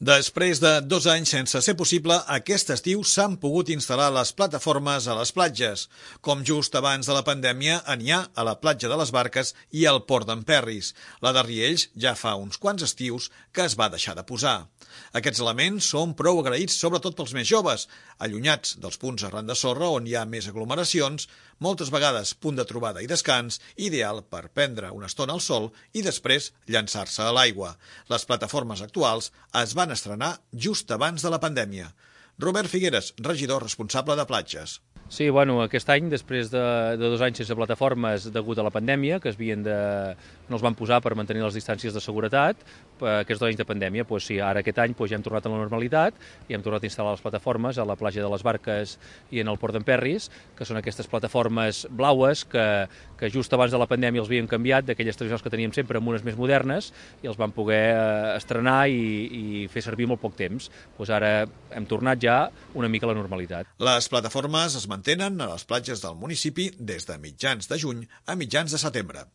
Després de 2 anys sense ser possible, aquest estiu s'han pogut instal·lar les plataformes a les platges. Com just abans de la pandèmia, n'hi ha a la platja de les Barques i al Port d'en Perris. La de Riells ja fa uns quants estius que es va deixar de posar. Aquests elements són prou agraïts sobretot pels més joves, allunyats dels punts arran de sorra on hi ha més aglomeracions, moltes vegades punt de trobada i descans, ideal per prendre una estona al sol i després llançar-se a l'aigua. Les plataformes actuals es van estrenar just abans de la pandèmia. Robert Figueres, regidor responsable de platges. Sí, bueno, aquest any, després de 2 anys sense plataformes degut a la pandèmia, que no els van posar per mantenir les distàncies de seguretat, aquests 2 anys de pandèmia, doncs sí, ara aquest any ja hem tornat a la normalitat i hem tornat a instal·lar les plataformes a la platja de les Barques i en el Port d'en Perris, que són aquestes plataformes blaues que just abans de la pandèmia els havien canviat d'aquelles tradicionals que teníem sempre amb unes més modernes i els van poder estrenar i fer servir molt poc temps. Doncs ara hem tornat ja una mica a la normalitat. Les plataformes es mantenen a les platges del municipi des de mitjans de juny a mitjans de setembre.